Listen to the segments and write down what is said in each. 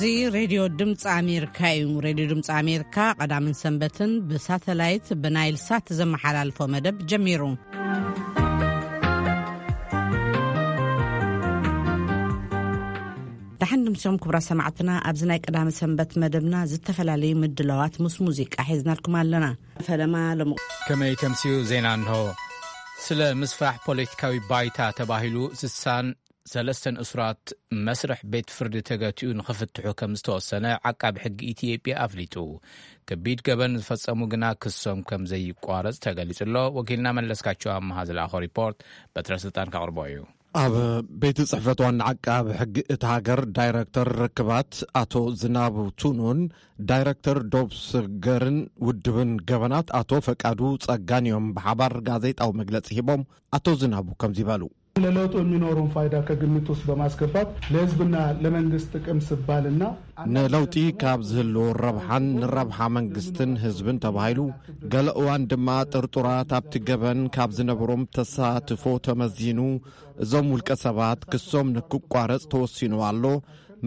እዚ ሬድዮ ድምፂ ኣሜሪካ እዩ። ሬድዮ ድምፂ ኣሜሪካ ቀዳምን ሰንበትን ብሳተላይት ብናይል ሳት ዘመሓላልፎ መደብ ጀሚሩ። ደሓን ድምሶም ክቡራ ሰማዕትና፣ ኣብዚ ናይ ቀዳሚ ሰንበት መደብና ዝተፈላለዩ ምድላዋት ምስ ሙዚቃ ሒዝናልኩም ኣለና። ፈለማ ሎሚ ከመይ ተምስዩ ዜና እንሆ። ስለ ምስፋሕ ፖለቲካዊ ባይታ ተባሂሉ ስሳን ሰለስተን እሱራት መስርሕ ቤት ፍርዲ ተገቲኡ ንኽፍትሑ ከም ዝተወሰነ ዓቃቢ ሕጊ ኢትዮጵያ ኣፍሊጡ። ከቢድ ገበን ዝፈጸሙ ግና ክሶም ከም ዘይቋረጽ ተገሊጹ ኣሎ። ወኪልና መለስካቸው ኣመሃ ዝለኣኾ ሪፖርት በትረ ስልጣን ከቕርቦ እዩ። ኣብ ቤት ጽሕፈት ዋና ዓቃቢ ሕጊ እቲ ሃገር ዳይረክተር ርክባት ኣቶ ዝናቡ ቱኑን ዳይረክተር ዶብ ስገርን ውድብን ገበናት ኣቶ ፈቃዱ ጸጋን እዮም ብሓባር ጋዜጣዊ መግለጺ ሂቦም። ኣቶ ዝናቡ ከምዚ በሉ። ለለውጡ የሚኖረውን ፋይዳ ከግምት ውስጥ በማስገባት ለህዝብና ለመንግስት ጥቅም ስባልና ንለውጢ ካብ ዝህልዎ ረብሓን ንረብሓ መንግስትን ህዝብን ተባሂሉ፣ ገለ እዋን ድማ ጥርጡራት ኣብቲ ገበን ካብ ዝነበሮም ተሳትፎ ተመዚኑ፣ እዞም ውልቀ ሰባት ክሶም ንክቋረጽ ተወሲኑ ኣሎ።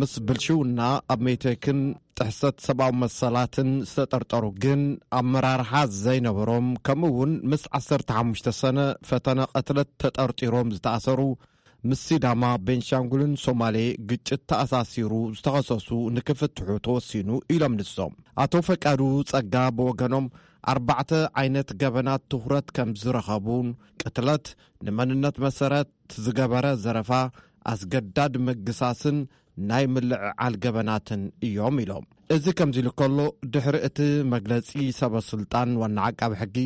ምስ ብልሽውና ኣብ ሜቴክን ጥሕሰት ሰብኣዊ መሰላትን ዝተጠርጠሩ ግን ኣመራርሓ ዘይነበሮም፣ ከምኡ እውን ምስ ዓሰርተ ሓሙሽተ ሰነ ፈተነ ቅትለት ተጠርጢሮም ዝተኣሰሩ፣ ምስ ሲዳማ፣ ቤንሻንጉልን ሶማሌ ግጭት ተኣሳሲሩ ዝተኸሰሱ ንክፍትሑ ተወሲኑ ኢሎም ንሶም። ኣቶ ፈቃዱ ጸጋ ብወገኖም ኣርባዕተ ዓይነት ገበናት ትኹረት ከም ዝረኸቡን ቅትለት፣ ንመንነት መሰረት ዝገበረ ዘረፋ፣ ኣስገዳድ ምግሳስን ናይ ምልዕዓል ገበናትን እዮም ኢሎም። እዚ ከምዚ ኢሉ ከሎ፣ ድሕሪ እቲ መግለጺ ሰበ ስልጣን ዋና ዓቃቢ ሕጊ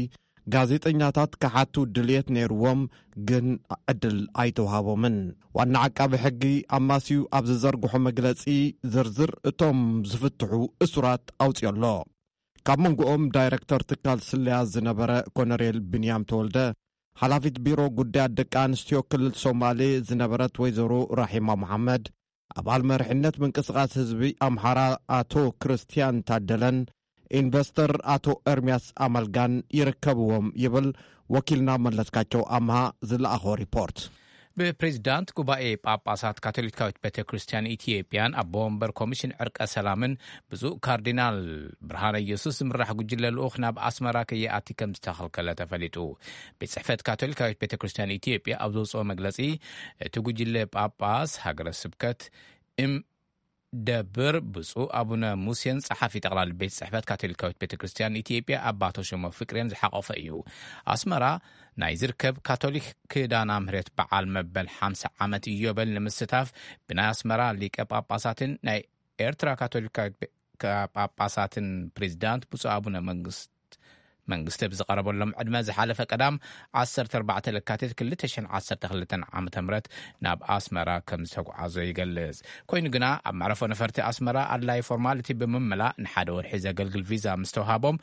ጋዜጠኛታት ክሓቱ ድልየት ነይርዎም፣ ግን ዕድል ኣይተዋሃቦምን። ዋና ዓቃቢ ሕጊ ኣማስዩ ኣብ ዝዘርግሖ መግለጺ ዝርዝር እቶም ዝፍትሑ እሱራት ኣውፅዮ ኣሎ። ካብ መንጎኦም ዳይረክተር ትካል ስለያ ዝነበረ ኮነሬል ብንያም ተወልደ፣ ሓላፊት ቢሮ ጉዳያት ደቂ ኣንስትዮ ክልል ሶማሌ ዝነበረት ወይዘሮ ራሒማ መሓመድ፣ ኣባል መሪሕነት ምንቅስቓስ ህዝቢ ኣምሓራ ኣቶ ክርስትያን ታደለን ኢንቨስተር ኣቶ ኤርሚያስ ኣመልጋን ይርከብዎም ይብል ወኪልና መለስካቸው ኣምሃ ዝለኣኾ ሪፖርት። ብፕሬዚዳንት ጉባኤ ጳጳሳት ካቶሊካዊት ቤተ ክርስቲያን ኢትዮጵያን ኣቦ ወንበር ኮሚሽን ዕርቀ ሰላምን ብፁዕ ካርዲናል ብርሃነ ኢየሱስ ዝምራሕ ጉጅለ ልኡኽ ናብ ኣስመራ ከይኣቲ ከም ዝተኸልከለ ተፈሊጡ። ቤት ጽሕፈት ካቶሊካዊት ቤተ ክርስቲያን ኢትዮጵያ ኣብ ዘውፅኦ መግለጺ፣ እቲ ጉጅለ ጳጳስ ሃገረ ስብከት እም ደብር ብፁዕ ኣቡነ ሙሴን ጸሓፊ ጠቕላሊ ቤት ጽሕፈት ካቶሊካዊት ቤተ ክርስቲያን ኢትዮጵያ ኣባ ተሾመ ፍቅሬን ዝሓቖፈ እዩ። ኣስመራ ናይ ዝርከብ ካቶሊክ ክዳና ምህረት በዓል መበል ሓምሳ ዓመት ኢዮበል ንምስታፍ ብናይ ኣስመራ ሊቀ ጳጳሳትን ናይ ኤርትራ ካቶሊካዊት ቤ-፣ ካ-፣ ጳጳሳትን ፕሬዚዳንት ብፁዕ ኣቡነ መንግስት መንግስቲ ብዝቐረበሎም ዕድመ ዝሓለፈ ቀዳም ዓሰርተ ኣርባዕተ ለካቲት ክልተ ሽሕን ዓሰርተ ክልተን ዓመተ ምህረት ናብ ኣስመራ ከም ዝተጓዓዞ ይገልጽ። ኮይኑ ግና ኣብ መዕረፎ ነፈርቲ ኣስመራ ኣድላይ ፎርማሊቲ ብምምላእ ንሓደ ወርሒ ዘገልግል ቪዛ ምስ ተውሃቦም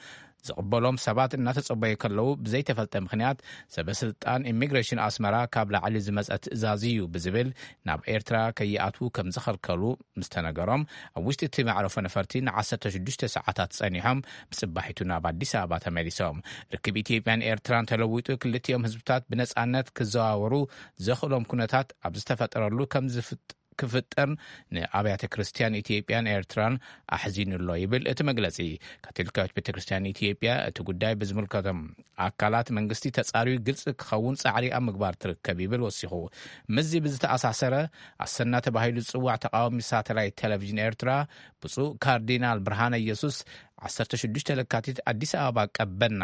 ዝቕበሎም ሰባት እናተጸበዩ ከለዉ ብዘይተፈልጠ ምኽንያት ሰበ ስልጣን ኢሚግሬሽን ኣስመራ ካብ ላዕሊ ዝመጸ ትእዛዝ እዩ ብዝብል ናብ ኤርትራ ከይኣትዉ ከም ዝኸልከሉ ምስ ተነገሮም፣ ኣብ ውሽጢ እቲ መዕረፎ ነፈርቲ ንዓሰርተ ሽዱሽተ ሰዓታት ጸኒሖም ብጽባሒቱ ናብ ኣዲስ ኣበባ ተመሊሶም። ርክብ ኢትዮጵያን ኤርትራን ተለዊጡ ክልቲኦም ህዝብታት ብነጻነት ክዘዋወሩ ዘኽእሎም ኩነታት ኣብ ዝተፈጠረሉ ከም ዝፍጥ-፣ ክፍጠር ንኣብያተ ክርስቲያን ኢትዮጵያን ኤርትራን ኣሕዚኑ ኣሎ ይብል እቲ መግለጺ። ካቶሊካዊት ቤተ ክርስቲያን ኢትዮጵያ እቲ ጉዳይ ብዝምልከቶም ኣካላት መንግስቲ ተጻርዩ ግልጺ ክኸውን ጻዕሪ ኣብ ምግባር ትርከብ ይብል ወሲኹ። ምስዚ ብዝተኣሳሰረ፣ ኣሰና ተባሂሉ ዝጽዋዕ ተቃዋሚ ሳተላይት ቴሌቪዥን ኤርትራ ብፁዕ ካርዲናል ብርሃነ ኢየሱስ ዓሰርተ ሽዱሽተ ለካቲት ኣዲስ ኣበባ ቀበና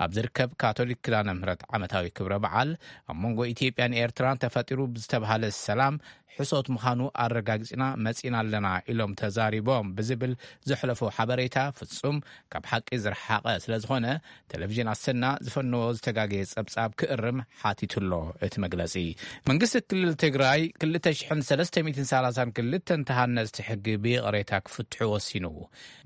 ኣብ ዝርከብ ካቶሊክ ኪዳነ ምህረት ዓመታዊ ክብረ በዓል ኣብ መንጎ ኢትዮጵያን ኤርትራን ተፈጢሩ ብዝተባሃለ ሰላም ሕሶት ምዃኑ ኣረጋጊጽና መጺና ኣለና ኢሎም ተዛሪቦም ብዝብል ዘሕለፎ ሓበሬታ ፍጹም ካብ ሓቂ ዝረሓቐ ስለ ዝኾነ፣ ቴሌቪዥን ኣሰና ዝፈነዎ ዝተጋገየ ጸብጻብ ክእርም ሓቲቱ ኣሎ። እቲ መግለጺ መንግስቲ ክልል ትግራይ ክልተ ሽሕን ሰለስተ ሚእትን ሰላሳን ክልተን ተሃነጽቲ ሕጊ ብይቕሬታ ክፍትሑ ወሲኑ።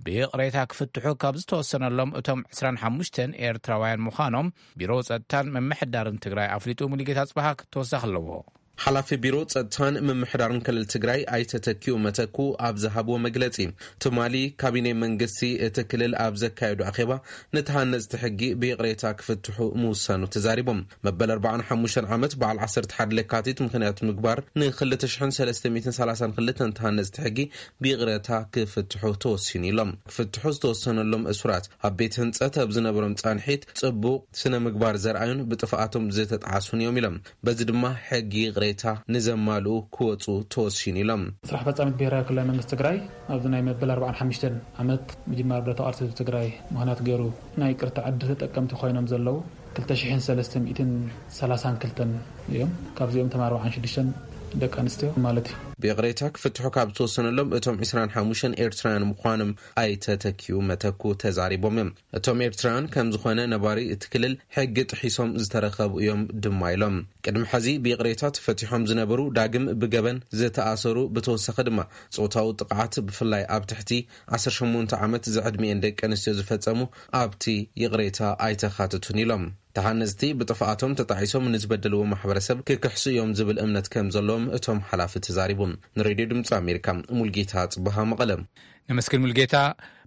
ብይቕሬታ ክፍትሑ ካብ ዝተወሰነሎም እቶም ዕስራን ሓሙሽተን ኤርትራውያን ምዃኖም ቢሮ ጸጥታን ምምሕዳርን ትግራይ ኣፍሊጡ። ሙሉጌታ ጽባሃ ተወሳኺ ኣለዎ። ሓላፊ ቢሮ ጸጥታን ምምሕዳርን ክልል ትግራይ ኣይተ ተኪኡ መተኩ ኣብ ዝሃብዎ መግለጺ፣ ትማሊ ካቢኔ መንግስቲ እቲ ክልል ኣብ ዘካየዱ ኣኼባ፣ ንተሃነጽቲ ሕጊ ብይቕሬታ ክፍትሑ ምውሳኑ ተዛሪቦም። መበል ኣርባዓን ሓሙሽተን ዓመት በዓል ዓሰርተ ሓደ ለካቲት ምኽንያት ምግባር፣ ን ክልተ ሽሕን ሰለስተ ሚእትን ሰላሳን ክልተን ተሃነጽቲ ሕጊ ብይቕሬታ ክፍትሑ ተወሲኑ ኢሎም። ክፍትሑ ዝተወሰነሎም እሱራት፣ ኣብ ቤት ህንጸት ኣብ ዝነበሮም ጻንሒት ጽቡቕ ስነ ምግባር ዘርኣዩን ብጥፍኣቶም ዝተጣዕሱን እዮም ኢሎም። በዚ ድማ ሕጊ ይቕሬታ ንዘማልኡ ክወጹ ተወሲኑ ኢሎም። ስራሕ ፈጻሚት ብሄራዊ ክልላዊ መንግስቲ ትግራይ፣ ኣብዚ ናይ መበል ኣርባዓን ሓሙሽተን ዓመት ምጅማር ብረታዊ ቃልሲ ህዝቢ ትግራይ ምኽንያት ገይሩ፣ ናይ ይቅርታ ዕድል ተጠቀምቲ ኮይኖም ዘለዉ ክልተ ሽሕን ሰለስተ ሚእትን ሰላሳን ክልተን እዮም። ካብዚኦም ተማሪ ኣርባዓን ሽዱሽተን ደቂ ኣንስትዮ ማለት እዩ። ብይቕሬታ ክፍትሑ ካብ ዝተወሰነሎም እቶም ዕስራን ሓሙሽተን ኤርትራውያን ምዃኖም ኣይተ ተኪኡ መተኩ ተዛሪቦም እዮም። እቶም ኤርትራውያን ከም ዝኾነ ነባሪ እቲ ክልል ሕጊ ጥሒሶም ዝተረኸቡ እዮም ድማ ኢሎም። ቅድሚ ሕዚ ብይቕሬታ ተፈቲሖም ዝነበሩ ዳግም ብገበን ዝተኣሰሩ፣ ብተወሳኺ ድማ ጾታዊ ጥቕዓት ብፍላይ ኣብ ትሕቲ ዓሰርተ ሸሞንተ ዓመት ዝዕድሚኤን ደቂ ኣንስትዮ ዝፈጸሙ ኣብቲ ይቕሬታ ኣይተኻትቱን ኢሎም። ተሃነፅቲ ብጥፍኣቶም ተጣዒሶም ንዝበደልዎ ማሕበረሰብ ክክሕሱ እዮም ዝብል እምነት ከም ዘለዎም እቶም ሓላፊ ተዛሪቦም። ንሬድዮ ድምፂ ኣሜሪካ፣ ሙልጌታ ጽበሃ፣ መቐለ። ነመስግን ሙልጌታ።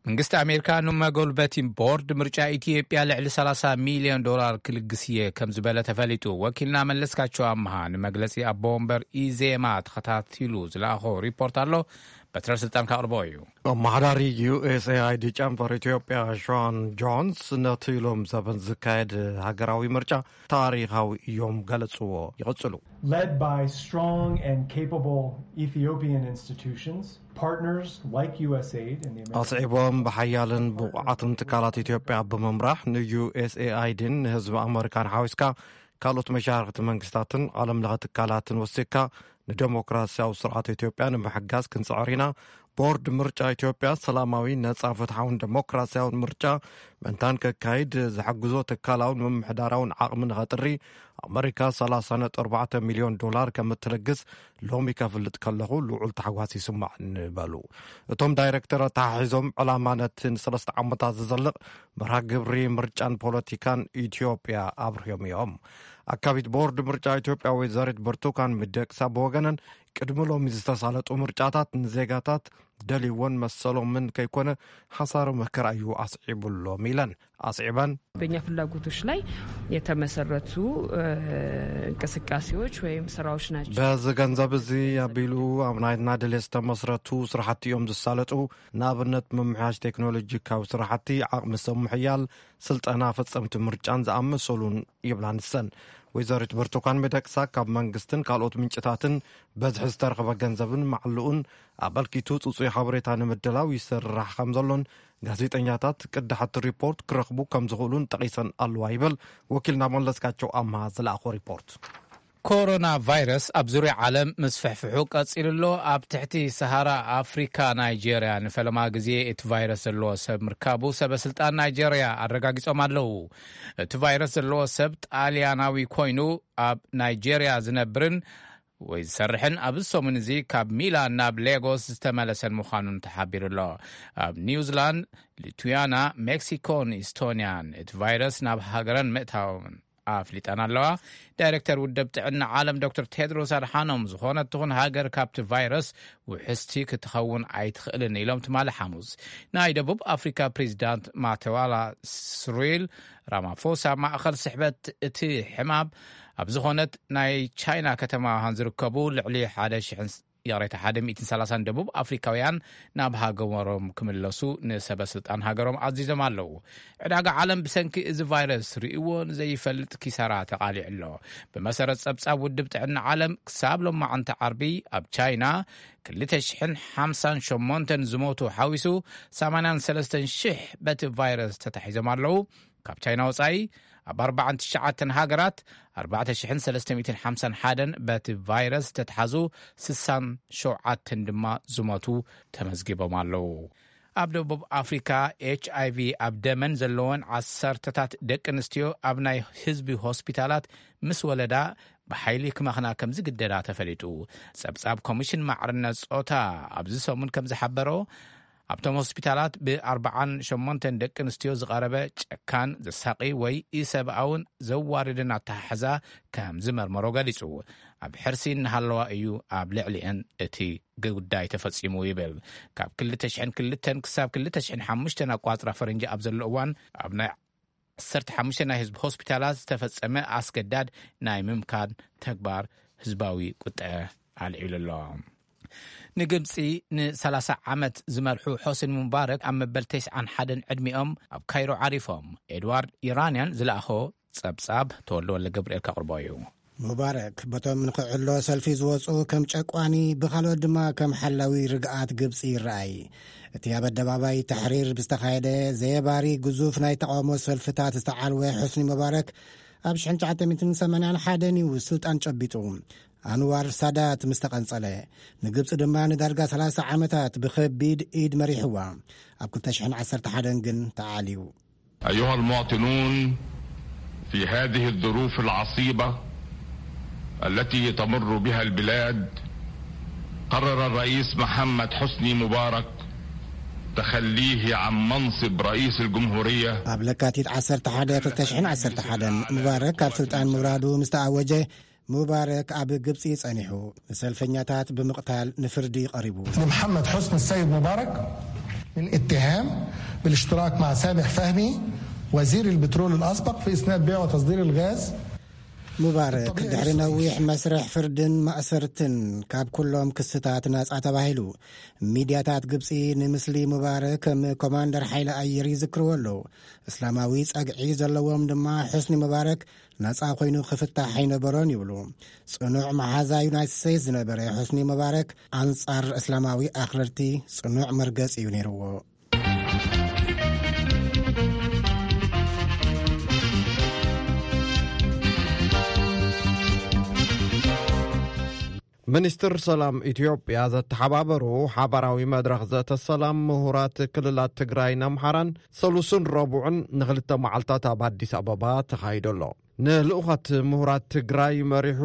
መንግስቲ ኣሜሪካ ንመጎልበቲ ቦርድ ምርጫ ኢትዮጵያ ልዕሊ ሰላሳ ሚልዮን ዶላር ክልግስ እየ ከም ዝበለ ተፈሊጡ። ወኪልና መለስካቸው ኣምሃ ንመግለጺ ኣቦ ወንበር ኢዜማ ተኸታቲሉ ዝለኣኾ ሪፖርት ኣሎ። በትረ ስልጣን ካቕርቦ እዩ። ኣመሓዳሪ ዩ ኤስ ኤ ኣይ ዲ ጨንፈር ኢትዮጵያ ሾን ጆንስ ነቲ ሎም ዘበን ዝካየድ ሃገራዊ ምርጫ ታሪኻዊ እዮም ገለጽዎ። ይቕጽሉ። Led by strong and capable Ethiopian institutions, partners like U S aid and the American ኣስዒቦም ብሓያልን ብቑዓትን ትካላት ኢትዮጵያ ብምምራሕ ንዩ ኤስ ኤ ኣይ ዲን ንህዝቢ ኣመሪካን ሓዊስካ ካልኦት መሻርክቲ መንግስታትን ዓለም ለኸ ትካላትን ወሲካ ንደሞክራሲያዊ ስርዓት ኢትዮጵያ ንምሕጋዝ ክንጽዕር ኢና። ቦርድ ምርጫ ኢትዮጵያ ሰላማዊ፣ ነጻ፣ ፍትሓውን ደሞክራሲያውን ምርጫ ምእንታን ከካይድ ዝሕግዞ ትካላውን ምምሕዳራውን ዓቕሚ ንኸጥሪ ኣመሪካ ሰላሳ ነጥቢ ኣርባዕተ ሚልዮን ዶላር ከም እትልግስ ሎሚ ከፍልጥ ከለኹ ልዑል ታሕጓስ ይስማዕ ንበሉ። እቶም ዳይሬክተር ኣተሓሒዞም ዕላማ ነቲ ንሰለስተ ዓመታት ዝዘልቕ መርሃ ግብሪ ምርጫን ፖለቲካን ኢትዮጵያ ኣብርዮም እዮም። ኣካቢት ቦርድ ምርጫ ኢትዮጵያ ወይዘሪት ብርቱካን ሚደቅሳ ብወገነን ቅድሚ ሎሚ ዝተሳለጡ ምርጫታት ንዜጋታት ደልይዎን መሰሎምን ከይኮነ ሓሳረ መከራ እዩ ኣስዒቡሎም ኢለን ኣስዒበን። በእኛ ፍላጎቶች ላይ የተመሰረቱ እንቅስቃሴዎች ወይም ስራዎች ናቸው። በዚ ገንዘብ እዚ ኣቢሉ ኣብ ናይና ድሌት ዝተመስረቱ ስራሕቲ እዮም ዝሳለጡ። ንኣብነት ምምሕያሽ ቴክኖሎጂካዊ ስራሕቲ፣ ዓቕሚ ሰብ ምሕያል፣ ስልጠና ፈጸምቲ ምርጫን ዝኣመሰሉን ይብላ ንሰን። ወይዘሪት ብርቱካን ሚደቅሳ ካብ መንግስትን ካልኦት ምንጭታትን በዝሒ ዝተረኸበ ገንዘብን ማዕልኡን ኣበልኪቱ ጽጹይ ሓበሬታ ንምድላው ይስራሕ ከም ዘሎን ጋዜጠኛታት ቅዳሕቲ ሪፖርት ክረኽቡ ከም ዝኽእሉን ጠቒሰን ኣለዋ ይብል ወኪልና መለስካቸው ኣምሃ ዝለኣኾ ሪፖርት። ኮሮና ቫይረስ ኣብ ዙርያ ዓለም ምስፍሕፍሑ ቀጺሉ ኣሎ። ኣብ ትሕቲ ሰሃራ ኣፍሪካ ናይጄርያ ንፈለማ ግዜ እቲ ቫይረስ ዘለዎ ሰብ ምርካቡ ሰበ ስልጣን ናይጄርያ ኣረጋጊጾም ኣለዉ። እቲ ቫይረስ ዘለዎ ሰብ ጣልያናዊ ኮይኑ ኣብ ናይጄርያ ዝነብርን ወይ ዝሰርሕን ኣብዚ ሰሙን እዚ ካብ ሚላን ናብ ሌጎስ ዝተመለሰን ምዃኑን ተሓቢሩ ኣሎ። ኣብ ኒውዚላንድ፣ ሊቱያና፣ ሜክሲኮን ኢስቶንያን እቲ ቫይረስ ናብ ሃገረን ምእታውን ኣፍሊጠን ኣለዋ። ዳይሬክተር ውድብ ጥዕና ዓለም ዶክተር ቴድሮስ ኣድሓኖም ዝኾነት ትኹን ሃገር ካብቲ ቫይረስ ውሕስቲ ክትኸውን ኣይትኽእልን ኢሎም ትማሊ ሓሙስ። ናይ ደቡብ ኣፍሪካ ፕሬዚዳንት ማተዋላ ስሪል ራማፎሳ ማእኸል ስሕበት እቲ ሕማም ኣብ ዝኾነት ናይ ቻይና ከተማ ውሃን ዝርከቡ ልዕሊ ሓደ ሽሕን ይቕሬታ፣ ሓደ ሚእትን ሰላሳን ደቡብ ኣፍሪካውያን ናብ ሃገሮም ክምለሱ ንሰበ ስልጣን ሃገሮም ኣዚዞም ኣለዉ። ዕዳጋ ዓለም ብሰንኪ እዚ ቫይረስ ርእይዎ ንዘይፈልጥ ኪሳራ ተቓሊዑ ኣሎ። ብመሰረት ጸብጻብ ውድብ ጥዕና ዓለም ክሳብ ሎማዓንቲ ዓርቢ ኣብ ቻይና ክልተ ሽሕን ሓምሳን ሸሞንተን ዝሞቱ ሓዊሱ ሰማንያን ሰለስተን ሽሕ በቲ ቫይረስ ተታሒዞም ኣለዉ። ካብ ቻይና ወጻኢ ኣብ ኣርባዓን ትሽዓተን ሃገራት ኣርባዕተ ሽሕን ሰለስተ ሚእትን ሓምሳን ሓደን በቲ ቫይረስ ዝተትሓዙ ስሳን ሸውዓተን ድማ ዝሞቱ ተመዝጊቦም ኣለዉ። ኣብ ደቡብ ኣፍሪካ ኤች ኣይ ቪ ኣብ ደመን ዘለወን ዓሰርተታት ደቂ ኣንስትዮ ኣብ ናይ ህዝቢ ሆስፒታላት ምስ ወለዳ ብሓይሊ ክመኽና ከም ዝግደዳ ተፈሊጡ። ጸብጻብ ኮሚሽን ማዕርነት ጾታ ኣብዚ ሰሙን ከም ዝሓበሮ ኣብቶም ሆስፒታላት ብ48 ደቂ ኣንስትዮ ዝቐረበ ጨካን፣ ዘሳቒ ወይ ኢሰብኣውን ዘዋርድን ኣተሓሕዛ ከም ዝመርመሮ ገሊጹ። ኣብ ሕርሲ እናሃለዋ እዩ ኣብ ልዕሊአን እቲ ጉዳይ ተፈጺሙ ይብል። ካብ ክልተ ሽሕን ክልተን ክሳብ ክልተ ሽሕን ሓሙሽተን ኣቋጽራ ፈረንጂ ኣብ ዘሎ እዋን፣ ኣብ ናይ ዓሰርተ ሓሙሽተ ናይ ህዝቢ ሆስፒታላት ዝተፈጸመ ኣስገዳድ ናይ ምምካን ተግባር ህዝባዊ ቁጠዐ ኣልዒሉ ኣሎ። ንግብጺ ን30 ዓመት ዝመርሑ ሖስኒ ሙባረክ ኣብ መበል ተስዓን ሓደን ዕድሚኦም ኣብ ካይሮ ዓሪፎም። ኤድዋርድ ኢራንያን ዝለኣኾ ጸብጻብ ተወልደ ወልደ ገብርኤል ከቕርቦ እዩ። ሙባረክ በቶም ንክዕሎ ሰልፊ ዝወጹ ከም ጨቋኒ፣ ብኻልኦት ድማ ከም ሓላዊ ርግኣት ግብጺ ይረኣይ። እቲ ኣብ ኣደባባይ ተሕሪር ብዝተኻየደ ዘየባሪ ግዙፍ ናይ ተቓውሞ ሰልፍታት ዝተዓልወ ሑስኒ ሙባረክ ኣብ ሽሕን ትሽዓተ ሚእትን ሰማንያን ሓደን እዩ ስልጣን ጨቢጡ። ኣንዋር ሳዳት ምስ ተቐንጸለ፣ ንግብጺ ድማ ንዳርጋ ሰላሳ ዓመታት ብኸቢድ ኢድ መሪሕዋ። ኣብ ክልተ ሽሕን ዓሰርተ ሓደን ግን ተዓልዩ። أيها المواطنون، في هذه الظروف العصيبة التي تمر بها البلاد، قرر الرئيس محمد حسني مبارك تخليه عن منصب رئيس الجمهورية. ኣብ ለካቲት ዓሰርተ ሓደ ክልተ ሽሕን ዓሰርተ ሓደን ሙባረክ ካብ ስልጣን ምውራዱ ምስ ተኣወጀ፣ ሙባረክ ኣብ ግብጺ ጸኒሑ ንሰልፈኛታት ብምቕታል ንፍርዲ ቀሪቡ። لمحمد حسني السيد مبارك من اتهام بالاشتراك مع سامح فهمي وزير البترول الأسبق في إسناد بيع وتصدير الغاز. ሙባረክ ድሕሪ ነዊሕ መስርሕ ፍርድን ማእሰርትን ካብ ኩሎም ክስታት ናጻ ተባሂሉ። ሚድያታት ግብጺ ንምስሊ ሙባረክ ከም ኮማንደር ሓይሊ ኣየር ይዝክርዎ ኣለዉ። እስላማዊ ጸግዒ ዘለዎም ድማ ሑስኒ ሙባረክ ናጻ ኮይኑ ክፍታሕ ኣይነበሮን ይብሉ። ጽኑዕ መሓዛ ዩናይትድ ስቴትስ ዝነበረ ሑስኒ ሙባረክ ኣንጻር እስላማዊ ኣኽረርቲ ጽኑዕ መርገጺ እዩ ነይርዎ። ሚኒስትር ሰላም ኢትዮጵያ ዘተሓባበሩ ሓባራዊ መድረኽ ዘተ ሰላም ምሁራት ክልላት ትግራይን ኣምሓራን ሰሉስን ረቡዕን ንኽልተ መዓልታት ኣብ ኣዲስ ኣበባ ተኻይዱ ኣሎ። ንልኡኻት ምሁራት ትግራይ መሪሑ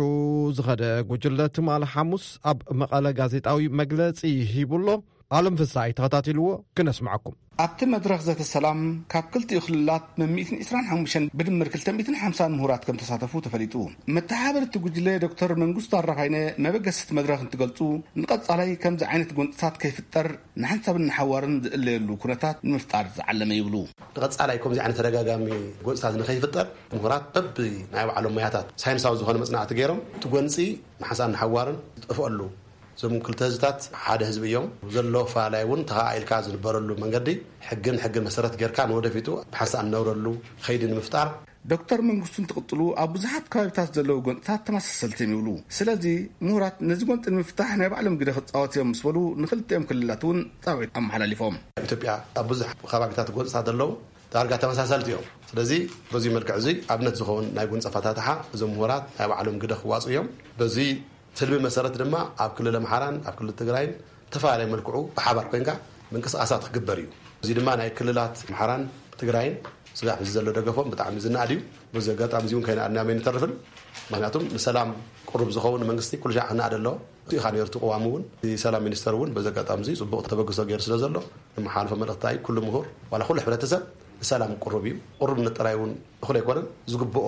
ዝኸደ ጉጅለ ትማሊ ሓሙስ ኣብ መቐለ ጋዜጣዊ መግለጺ ሂቡ ኣሎ። ኣለም ፍሳይ ተኸታቲልዎ፣ ክነስምዓኩም። ኣብቲ መድረኽ ዘተ ሰላም ካብ ክልቲኡ ክልላት መሚእትን ዕስራን ሓሙሽተን ብድምር ክልተ ሚእትን ሓምሳን ምሁራት ከም ተሳተፉ ተፈሊጡ። መተሓባበርቲ ጉጅለ ዶክተር መንግስቱ ኣራኻይነ መበገሲቲ መድረኽ እንትገልጹ፣ ንቐጻላይ ከምዚ ዓይነት ጎንጽታት ከይፍጠር ንሓንሳብን ንሓዋርን ዝእለየሉ ኩነታት ንምፍጣር ዝዓለመ ይብሉ። ንቐጻላይ ከምዚ ዓይነት ተደጋጋሚ ጎንጽታት ንኸይፍጠር ምሁራት በቢ ናይ ባዕሎም ሞያታት ሳይንሳዊ ዝኾነ መጽናዕቲ ገይሮም እቲ ጎንጺ ንሓንሳብን ንሓዋርን ዝጠፍኣሉ፣ እዞም ክልተ ህዝብታት ሓደ ህዝቢ እዮም። ዘሎ ኣፈላላይ እውን ተኸኣኢልካ ዝንበረሉ መንገዲ ሕግን ሕግን መሰረት ጌርካ ንወደፊቱ ብሓንሳእ እንነብረሉ ኸይዲ ንምፍጣር። ዶክተር መንግስቱ እንትቕጥሉ፣ ኣብ ብዙሓት ከባቢታት ዘለዉ ጎንፅታት ተመሳሰልቲ እዮም ይብሉ። ስለዚ ምሁራት ነዚ ጎንፂ ንምፍታሕ ናይ ባዕሎም ግደ ክፃወት እዮም ምስ በሉ፣ ንክልቲኦም ክልላት እውን ፃውዒት ኣመሓላሊፎም። ኢትዮጵያ ኣብ ብዙሕ ከባቢታት ጎንፅታት ዘለዉ ዳርጋ ተመሳሰልቲ እዮም። ስለዚ በዚ መልክዕ እዚ ኣብነት ዝኸውን ናይ ጎንፂ ኣፈታትሓ እዞም ምሁራት ናይ ባዕሎም ግደ ክዋፁ እዮም። በዚ ትልሚ መሰረት ድማ ኣብ ክልል ኣምሓራን ኣብ ክልል ትግራይን ዝተፈላለየ መልክዑ ብሓባር ኮይንካ ምንቅስቃሳት ክግበር እዩ። እዚ ድማ ናይ ክልላት ኣምሓራን ትግራይን ስጋዕ እዚ ዘሎ ደገፎም ብጣዕሚ ዝነኣድ እዩ። በዚ ኣጋጣሚ እዚ እውን ከይነኣድናዮም ኣይንተርፍን። ምክንያቱም ንሰላም ቅሩብ ዝኸውን መንግስቲ ኩሉ ሻዕ ክነኣድ ኣለዎ። እቲ ኢኻ ነይሩ እቲ ቅዋም እውን፣ እቲ ሰላም ሚኒስተር እውን በዚ ኣጋጣሚ እዚ ጽቡቕ ተበግሶ ገይሩ ስለ ዘሎ፣ ንመሓልፎ መልእኽቲ እንታይ እዩ? ኩሉ ምሁር ዋላ ኩሉ ሕብረተሰብ ንሰላም ቅሩብ እዩ። ቅሩብነት ጥራይ እውን እኹል ኣይኮነን፣ ዝግብኦ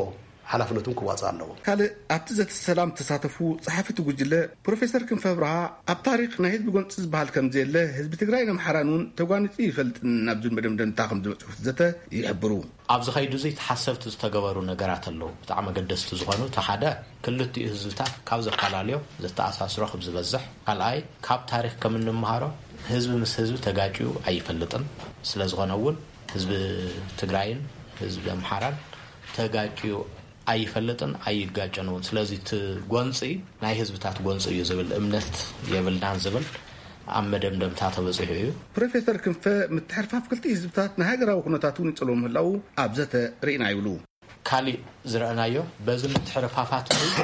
ሓላፍነቱን ክዋፅእ ኣለዎ። ካልእ ኣብቲ ዘተ ሰላም ተሳተፉ ጸሓፊ እቲ ጉጅለ ፕሮፌሰር ክንፈ ብርሃ፣ ኣብ ታሪኽ ናይ ህዝቢ ጎንፂ ዝበሃል ከም ዘየለ፣ ህዝቢ ትግራይን ኣምሓራን እውን ተጓኒፁ ይፈልጥን ናብ ዝብል መደምደምታ ከም ዝበፅሑ እቲ ዘተ ይሕብሩ። ኣብዚ ከይዲ እዚ ተሓሰብቲ ዝተገበሩ ነገራት ኣለዉ። ብጣዕሚ ኣገደስቲ ዝኾኑ፣ እቲ ሓደ ክልቲኡ ህዝብታት ካብ ዘፈላለዮ ዘተኣሳስሮ ከም ዝበዝሕ፣ ካልኣይ ካብ ታሪኽ ከም እንመሃሮ ህዝቢ ምስ ህዝቢ ተጋጭዩ ኣይፈልጥን። ስለ ዝኾነ እውን ህዝቢ ትግራይን ህዝቢ ኣምሓራን ተጋጭዩ ኣይፈልጥን ኣይጋጨን እውን። ስለዚ እቲ ጎንፂ ናይ ህዝብታት ጎንፂ እዩ ዝብል እምነት የብልናን ዝብል ኣብ መደምደምታ ተበፂሑ እዩ። ፕሮፌሰር ክንፈ፣ ምትሕርፋፍ ክልቲኡ ህዝብታት ንሃገራዊ ኩነታት እውን ይፀልዎ ምህላዉ ኣብ ዘተ ርኢና ይብሉ። ካሊእ ዝረኣናዮ፣ በዚ ምትሕርፋፋት እዚ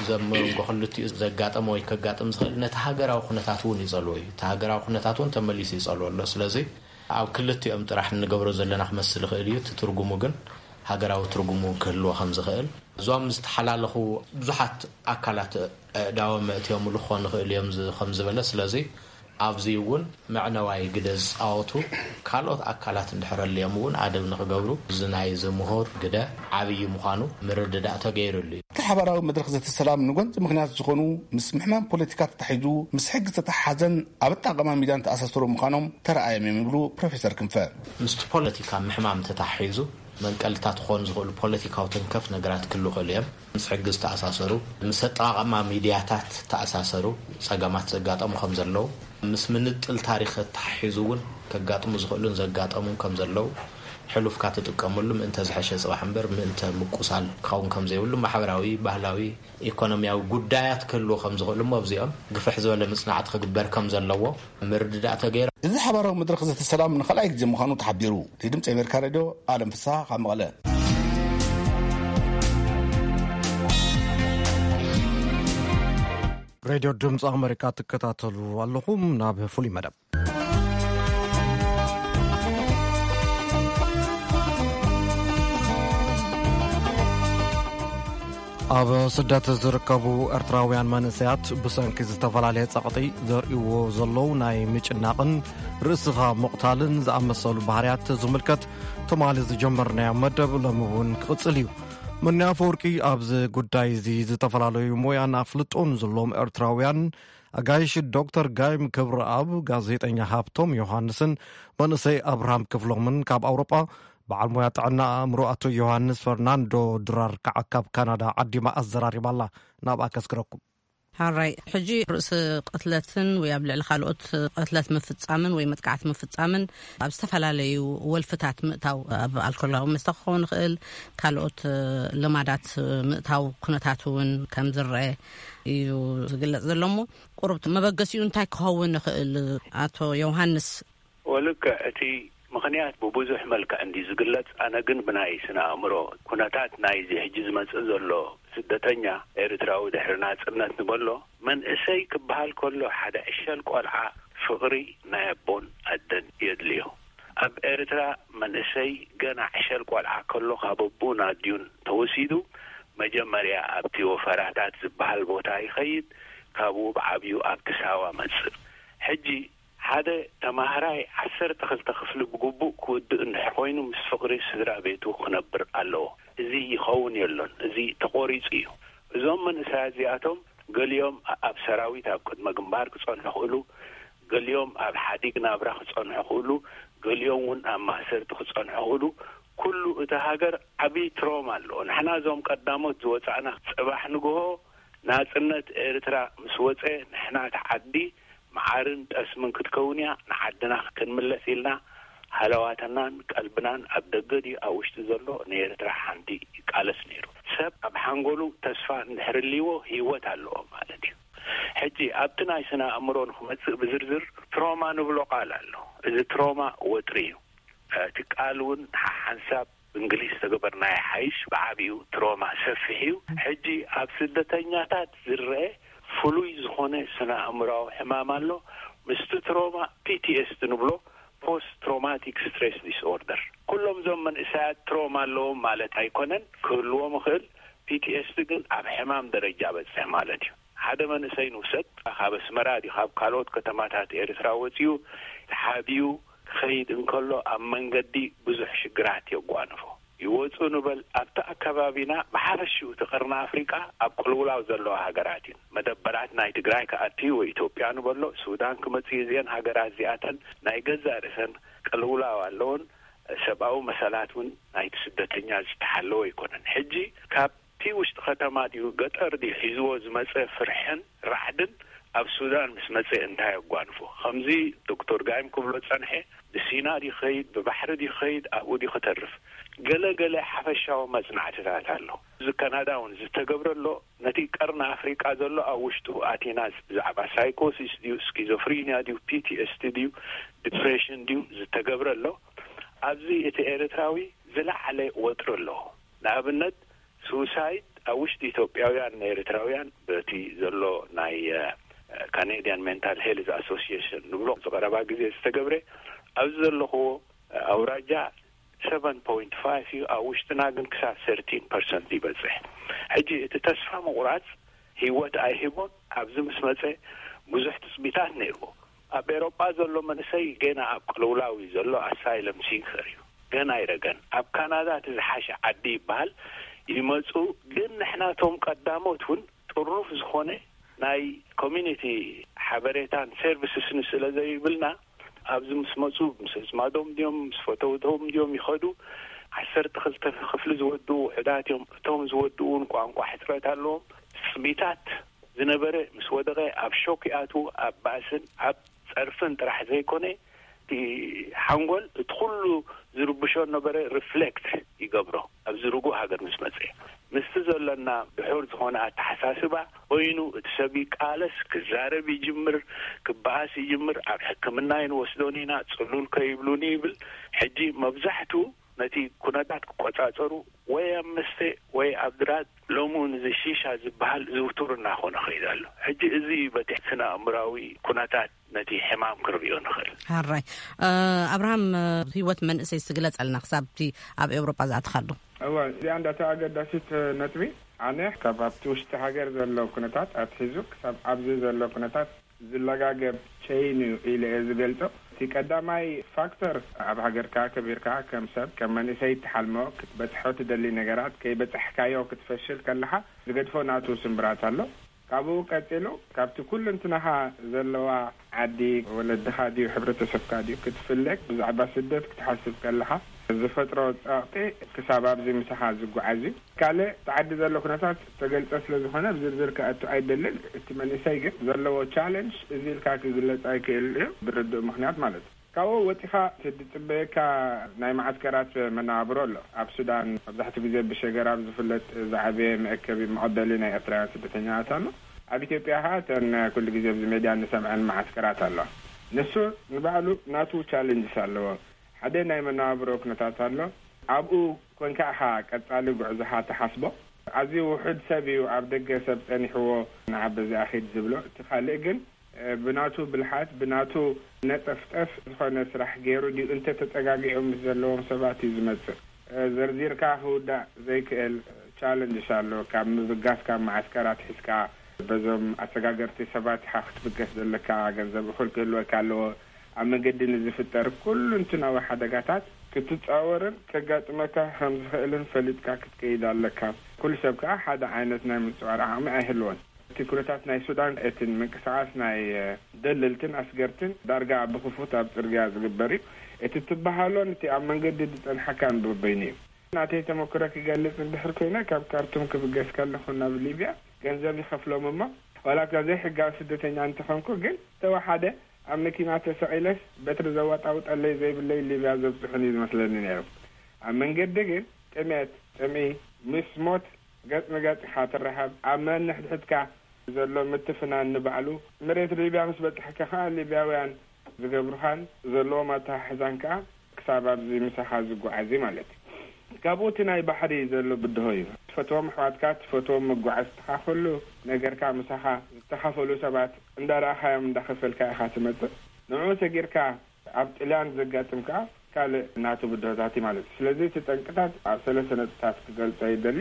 ዘብ መንጎ ክልቲኡ ዘጋጠመ ወይ ከጋጥም ዝኽእል ነቲ ሃገራዊ ኩነታት እውን ይጸልዎ እዩ። እቲ ሃገራዊ ኩነታት እውን ተመሊሱ ይጸልዎ ኣሎ። ስለዚ ኣብ ክልቲኦም ጥራሕ እንገብሮ ዘለና ክመስል ይኽእል እዩ። እቲ ትርጉሙ ግን ሃገራዊ ትርጉሙ እውን ክህልዎ ከም ዝኽእል፣ እዞም ዝተሓላለኹ ብዙሓት ኣካላት ኣእዳዎም መእትዮምሉ ክኾኑ ይኽእሉ እዮም ዝ-፣ ከም ዝበለ፣ ስለዚ ኣብዚ እውን መዕነዋይ ግደ ዝፃወቱ ካልኦት ኣካላት እንድሕረልዮም እውን ኣደብ ንክገብሩ እዚ ናይ ዝምሁር ግደ ዓብዪ ምዃኑ ምርድዳእ ተገይሩሉ እዩ። እቲ ሓባራዊ መድረኽ ዘተ ሰላም ንጎንፂ ምኽንያት ዝኾኑ ምስ ምሕማም ፖለቲካ ተታሒዙ ምስ ሕጊ ዝተተሓሓዘን ኣብ ኣጠቓቕማ ሚድያን ተኣሳሰሩ ምዃኖም ተረኣዮም እዮም ይብሉ ፕሮፌሰር ክንፈ። ምስቲ ፖለቲካ ምሕማም ተታሒዙ መንቀልታት ክኾኑ ዝኽእሉ ፖለቲካዊ ተንከፍ ነገራት ክህሉ ይኽእሉ እዮም። ምስ ሕጊ ዝተኣሳሰሩ፣ ምስ ኣጠቓቕማ ሚድያታት ዝተኣሳሰሩ ጸገማት ዘጋጠሙ ከም ዘለዉ፣ ምስ ምንጥል ታሪኽ ተታሒዙ እውን ከጋጥሙ ዝኽእሉን ዘጋጠሙን ከም ዘለዉ፣ ሕሉፍካ ትጥቀመሉ ምእንተ ዝሐሸ ጽባሕ እምበር ምእንተ ምቁሳል ክኸውን ከም ዘይብሉ ማሕበራዊ፣ ባህላዊ፣ ኢኮኖሚያዊ ጉዳያት ክህልዉ ከም ዝኽእሉ እሞ ኣብዚኦም ግፍሕ ዝበለ ምጽናዕቲ ክግበር ከም ዘለዎ ምርድዳእ ተገይሩ። እዚ ሓባራዊ መድረኽ ዘተ ሰላም ንኻልኣይ ግዜ ምዃኑ ተሓቢሩ። እቲ ድምፂ ኣሜሪካ ሬድዮ ኣለም ፍስሓ ካብ መቐለ። ሬድዮ ድምፂ ኣሜሪካ ትከታተሉ ኣለኹም። ናብ ፍሉይ መደብ። ኣብ ስደት ዝርከቡ ኤርትራውያን መንእሰያት ብሰንኪ ዝተፈላለየ ጸቕጢ ዘርእይዎ ዘለዉ ናይ ምጭናቕን ርእስኻ ምቕታልን ዝኣመሰሉ ባህርያት ዝምልከት ትማሊ ዝጀመርናዮ መደብ ሎሚ እውን ክቕጽል እዩ። መኒ ኣፈወርቂ ኣብዚ ጉዳይ እዚ ዝተፈላለዩ ሞያን ኣፍልጦን ዘለዎም ኤርትራውያን ኣጋይሽ ዶክተር ጋይም ክብረኣብ፣ ጋዜጠኛ ሃብቶም ዮሃንስን መንእሰይ ኣብርሃም ክፍሎምን ካብ ኣውሮጳ፣ በዓል ሞያ ጥዕና ኣእምሮ ኣቶ ዮሃንስ ፈርናንዶ ድራር ከዓ ካብ ካናዳ ዓዲማ ኣዘራሪባ ኣላ። ናብኣ ከስግረኩም። ሓራይ ሕጂ ርእሲ ቅትለትን ወይ ኣብ ልዕሊ ካልኦት ቅትለት ምፍጻምን ወይ መጥቃዕቲ ምፍጻምን ኣብ ዝተፈላለዩ ወልፍታት ምእታው ኣብ ኣልኮላዊ መስተ ክኸውን ይኽእል ካልኦት ልማዳት ምእታው ኩነታት እውን ከም ዝረአ እዩ ዝግለጽ ዘሎ እሞ ቁሩብ መበገሲኡ እንታይ ክኸውን ይኽእል ኣቶ ዮሃንስ? ወልክዕ እቲ ምኽንያት ብብዙሕ መልክዕ እንዲ ዝግለጽ ኣነ ግን ብናይ ስነ ኣእምሮ ኩነታት ናይዚ ሕጂ ዝመጽእ ዘሎ ስደተኛ ኤርትራዊ ድሕሪ ናጽነት ንበሎ መንእሰይ ክበሃል ከሎ ሓደ ዕሸል ቆልዓ ፍቕሪ ናይ ኣቦን ኣደን የድልዮ። ኣብ ኤርትራ መንእሰይ ገና ዕሸል ቆልዓ ከሎ ካብ ኣቡን ኣዲዩን ተወሲዱ መጀመርያ ኣብቲ ወፈራታት ዝበሃል ቦታ ይኸይድ፣ ካብኡ ብዓብዩ ኣብቲ ሳዋ መጽእ። ሕጂ ሓደ ተማሃራይ ዓሰርተ ክልተ ክፍሊ ብግቡእ ክውድእ እንድሕር ኮይኑ ምስ ፍቕሪ ስድራ ቤቱ ክነብር ኣለዎ። እዚ ይኸውን የሎን። እዚ ተቖሪጹ እዩ። እዞም መንእሰያት እዚኣቶም ገሊኦም ኣብ ሰራዊት ኣብ ቅድመ ግንባር ክጸንሑ ክእሉ፣ ገሊኦም ኣብ ሓዲግ ናብራ ክጸንሑ ክእሉ፣ ገሊኦም እውን ኣብ ማእሰርቲ ክጸንሑ ክእሉ። ኩሉ እቲ ሃገር ዓብዪ ትሮማ ኣለዎ። ንሕና እዞም ቀዳሞት ዝወጻእና ጽባሕ ንግሆ ናጽነት ኤርትራ ምስ ወጸ ንሕና እቲ ዓዲ መዓርን ጠስምን ክትከውን እያ፣ ንዓድና ክንምለስ ኢልና ሃለዋትናን ቀልብናን ኣብ ደገ ድዩ ኣብ ውሽጢ ዘሎ ንኤርትራ ሓንቲ ይቃለስ ነይሩ። ሰብ ኣብ ሓንጎሉ ተስፋ እንድሕር ልይዎ ህይወት ኣለዎ ማለት እዩ። ሕጂ ኣብቲ ናይ ስነ ኣእምሮ ንክመጽእ ብዝርዝር ትሮማ ንብሎ ቃል ኣሎ። እዚ ትሮማ ወጥሪ እዩ። እቲ ቃል እውን ሓንሳብ ብእንግሊዝ ተገበርናዮ ሓይሽ ብዓቢኡ ትሮማ ሰፊሕ እዩ። ሕጂ ኣብ ስደተኛታት ዝረአ ፍሉይ ዝኾነ ስነ ኣእምራዊ ሕማም ኣሎ። ምስቲ ትሮማ ፒቲኤስዲ ንብሎ ፖስት ትሮማቲክ ስትሬስ ዲስኦርደር። ኩሎም እዞም መንእሰያት ትሮማ ኣለዎም ማለት ኣይኮነን፣ ክህልዎም ይኽእል። ፒቲኤስዲ ግን ኣብ ሕማም ደረጃ በጽሕ ማለት እዩ። ሓደ መንእሰይ ንውሰድ፣ ካብ ኣስመራ ድዩ ካብ ካልኦት ከተማታት ኤርትራ ወጺኡ ተሓቢኡ ክኸይድ እንከሎ ኣብ መንገዲ ብዙሕ ሽግራት የጓንፎ። ይወጹ ንበል ኣብቲ ኣከባቢና ብሓፈሽኡ እቲ ቀርኒ ኣፍሪቃ ኣብ ቅልውላው ዘለዋ ሃገራት እዩን። መደበራት ናይ ትግራይ ክኣትዩ ወይ ኢትዮጵያ ንበሎ ሱዳን ክመጽእ እዚአን ሃገራት እዚኣተን ናይ ገዛእ ርእሰን ቅልውላው ኣለውን። ሰብኣዊ መሰላት እውን ናይቲ ስደተኛ ዝተሓለወ ኣይኮነን። ሕጂ ካብ እቲ ውሽጢ ከተማ ድዩ ገጠር ድዩ ሒዝዎ ዝመጸ ፍርሕን ራዕድን ኣብ ሱዳን ምስ መጸ እንታይ ኣጓንፎ? ከምዚ ዶክተር ጋይም ክብሎ ጸንሐ፣ ብሲና ድዩ ኸይድ፣ ብባሕሪ ድዩ ኸይድ፣ ኣብኡ ድዩ ከተርፍ? ገለ ገለ ሓፈሻዊ መጽናዕትታት ኣሎ። እዚ ካናዳ እውን ዝተገብረ ኣሎ። ነቲ ቀርኒ ኣፍሪቃ ዘሎ ኣብ ውሽጡ ኣቲና ብዛዕባ ሳይኮሲስ ድዩ ስኪዞፍሪኒያ ድዩ ፒቲኤስቲ ድዩ ዲፕሬሽን ድዩ ዝተገብረ ኣሎ። ኣብዚ እቲ ኤርትራዊ ዝለዓለ ወጥሪ ኣለዎ። ንኣብነት ሱሳይድ ኣብ ውሽጢ ኢትዮጵያውያን ንኤርትራውያን በቲ ዘሎ ናይ ካኔድያን ሜንታል ሄልዝ ኣሶሲሽን ንብሎ ዝቐረባ ግዜ ዝተገብረ ኣብዚ ዘለኽዎ ኣውራጃ ሰቨን ፖይንት ፋይቭ እዩ። ኣብ ውሽጥና ግን ክሳብ ሰርቲን ፐርሰንት ይበፅሕ። ሕጂ እቲ ተስፋ ምቑራፅ ህይወት ኣይህቦን። ኣብዚ ምስ መፀ ብዙሕ ትፅቢታት ነይርዎ። ኣብ ኤሮጳ ዘሎ መንእሰይ ገና ኣብ ቅልውላው እዩ ዘሎ። ኣሳይለም ሲከር እዩ፣ ገና ኣይረገን። ኣብ ካናዳ እቲ ዝሓሸ ዓዲ ይበሃል። ይመፁ፣ ግን ንሕናቶም ቀዳሞት እውን ጥሩፍ ዝኾነ ናይ ኮሚኒቲ ሓበሬታን ሰርቪስስን ስለ ዘይብልና፣ ኣብዚ ምስ መፁ ምስ ኣዝማዶም ድዮም ምስ ፈተውቶም ድዮም ይኸዱ። ዓሰርተ ክልተ ክፍሊ ዝወድኡ ውሑዳት እዮም። እቶም ዝወድኡ እውን ቋንቋ ሕፅረት ኣለዎም። ስሚታት ዝነበረ ምስ ወደቐ ኣብ ሾክ ይኣትዉ። ኣብ ባእስን ኣብ ጸርፍን ጥራሕ ዘይኮነ፣ እቲ ሓንጎል እቲ ኩሉ ዝርብሾ ነበረ ሪፍሌክት ይገብሮ። ኣብዚ ርጉእ ሃገር ምስ መጸ፣ ምስቲ ዘለና ድሑር ዝኾነ ኣተሓሳስባ ኮይኑ፣ እቲ ሰብ ይቃለስ፣ ክዛረብ ይጅምር፣ ክበኣስ ይጅምር። ኣብ ሕክምና ይንወስዶን ኢና፣ ጽሉል ከይብሉኒ ይብል። ሕጂ መብዛሕቱ ነቲ ኩነታት ክቆጻጸሩ ወይ ኣብ መስተ ወይ ኣብ ድራግ፣ ሎሚ እውን እዚ ሺሻ ዝበሃል ዝውቱር እናኾነ ኸይዱ ኣሎ። ሕጂ እዚ በቲ ስነ ኣእምራዊ ኩነታት ነቲ ሕማም ክንርእዮ ንኽእል። ሃራይ። እ፣ ኣብርሃም፣ እ፣ ህይወት መንእሰይ ስግለጸልና ክሳብ እቲ ኣብ ኤውሮጳ ዝኣተኻሉ። እወ፣ እዚኣ እንዳታ ኣገዳሲት ነጥቢ። ኣነ ካብ ኣብቲ ውሽጢ ሃገር ዘሎ ኩነታት ኣትሒዙ ክሳብ ኣብዚ ዘሎ ኩነታት ዝለጋገብ ቸይን እዩ ኢለ እየ ዝገልጾ። እቲ ቀዳማይ ፋክተር፣ ኣብ ሃገርካ ከቢርካ ከም ሰብ ከም መንእሰይ እትሓልሞ ክትበጽሖ ትደሊ ነገራት ከይበጻሕካዮ ክትፈሽል ከለኻ ዝገድፎ ናቱ ስምብራት ኣሎ። ካብኡ ቀጺሉ ካብቲ ኩልንትናኻ ዘለዋ ዓዲ ወለድኻ ድዩ ሕብረተሰብካ ድዩ ክትፍለግ ብዛዕባ ስደት ክትሓስብ ከለኻ ዝፈጥሮ ጸቕጢ ክሳብ ኣብዚ ምሳኻ ዝጓዓዝ እዩ። ካልእ እቲ ዓዲ ዘሎ ኩነታት ተገልጸ ስለ ዝኾነ ብዝርዝር ከኣቱ ኣይደልን። እቲ መንእሰይ ግን ዘለዎ ቻለንጅ እዚ ኢልካ ክግለጽ ኣይክእል እዩ፣ ብርድእ ምኽንያት ማለት እዩ። ካብኡ ወጺኻ እቲ ዝጽበየካ ናይ መዓስከራት መነባብሮ ኣሎ። ኣብ ሱዳን መብዛሕትኡ ግዜ ብሸገር ኣብ ዝፍለጥ ዝዓበየ መእከቢ መቐበሊ ናይ ኤርትራውያን ስደተኛታት ኣሎ። ኣብ ኢትዮጵያ ኸኣ እተን ኩሉ ግዜ ኣብዚ ሜድያ እንሰምዐን መዓስከራት ኣለዋ። ንሱ ንባዕሉ ናቱ ቻለንጅስ ኣለዎ። ሓደ ናይ መነባብሮ ኩነታት ኣሎ። ኣብኡ ኮንካ ኢኻ ቀጻሊ ጉዕዞኻ ትሓስቦ። ኣዝዩ ውሑድ ሰብ እዩ ኣብ ደገ ሰብ ጸኒሕዎ ንዓ በዚኣ ኺድ ዝብሎ። እቲ ካልእ ግን፣ እ፣ ብናቱ ብልሓት፣ ብናቱ ነጠፍጠፍ ዝኾነ ስራሕ ገይሩ ድዩ እንተ ተጸጋጊዑ ምስ ዘለዎም ሰባት እዩ ዝመጽእ። እ፣ ዘርዚርካ ክውዳእ ዘይክእል ቻለንጅስ ኣሎ። ካብ ምብጋስ ካብ መዓስከራት ሒዝካ በዞም ኣሰጋገርቲ ሰባት ኢኻ ክትብገስ ዘለካ፣ ገንዘብ እኹል ክህልወካ ኣለዎ። ኣብ መንገዲ ንዝፍጠር ኩሉ እንትናዊ ሓደጋታት ክትጻወርን ከጋጥመካ ከም ዝኽእልን ፈሊጥካ ክትከይድ ኣለካ። ኩሉ ሰብ ከኣ ሓደ ዓይነት ናይ ምጽዋር ዓቕሚ ኣይህልዎን። እቲ ኩነታት ናይ ሱዳን፣ እቲ ምንቅስቓስ ናይ፣ እ፣ ደለልትን ኣስገርትን ዳርጋ ብኽፉት ኣብ ጽርግያ ዝግበር እዩ። እቲ ትበሃሎን እቲ ኣብ መንገዲ ዝጸንሓካን በበይኑ እዩ። ናተይ ተመክሮ ክገልጽ እንድሕር ኮይነ፣ ካብ ካርቱም ክብገስ ከለኹ ናብ ሊብያ ገንዘብ ይኸፍሎም እሞ፣ ዋላ እኳ ዘይሕጋዊ ስደተኛ እንተኾንኩ፣ ግን ተወሓደ ኣብ መኪና ተሰቒለስ በትሪ ዘዋጣውጠለይ ዘይብለይ ሊብያ ዘብጽሑን እዩ ዝመስለኒ ነይሩ። ኣብ መንገዲ ግን ጥሜት፣ ጽምኢ፣ ምስ ሞት ገጽ ንገጽ ኢኻ ትራኸብ። ኣብ መንሕድሕድካ ዘሎ ምትፍናን ንባዕሉ፣ መሬት ሊብያ ምስ በጻሕካ ከኣ ሊብያውያን ዝገብሩኻን ዘለዎም ኣተሓሕዛን ከኣ ክሳብ ኣብዚ ምሳኻ ዝጓዓዝ እዩ ማለት እዩ። ካብኡ እቲ ናይ ባሕሪ ዘሎ ብድሆ እዩ። ትፈትዎም ኣሕዋትካ፣ ትፈትዎም መጓዓዝትኻ፣ ኩሉ ነገርካ ምሳኻ ዝተኻፈሉ ሰባት እንዳረኣኻዮም እንዳኸፈልካ ኢኻ ትመጽእ። ንዕኡ ሰጊርካ ኣብ ጥልያን ዘጋጥም ከኣ ካልእ ናቱ ብድሆታት እዩ ማለት እዩ። ስለዚ እቲ ጠንቅታት ኣብ ሰለስተ ነጥብታት ክገልጾ ይደሊ።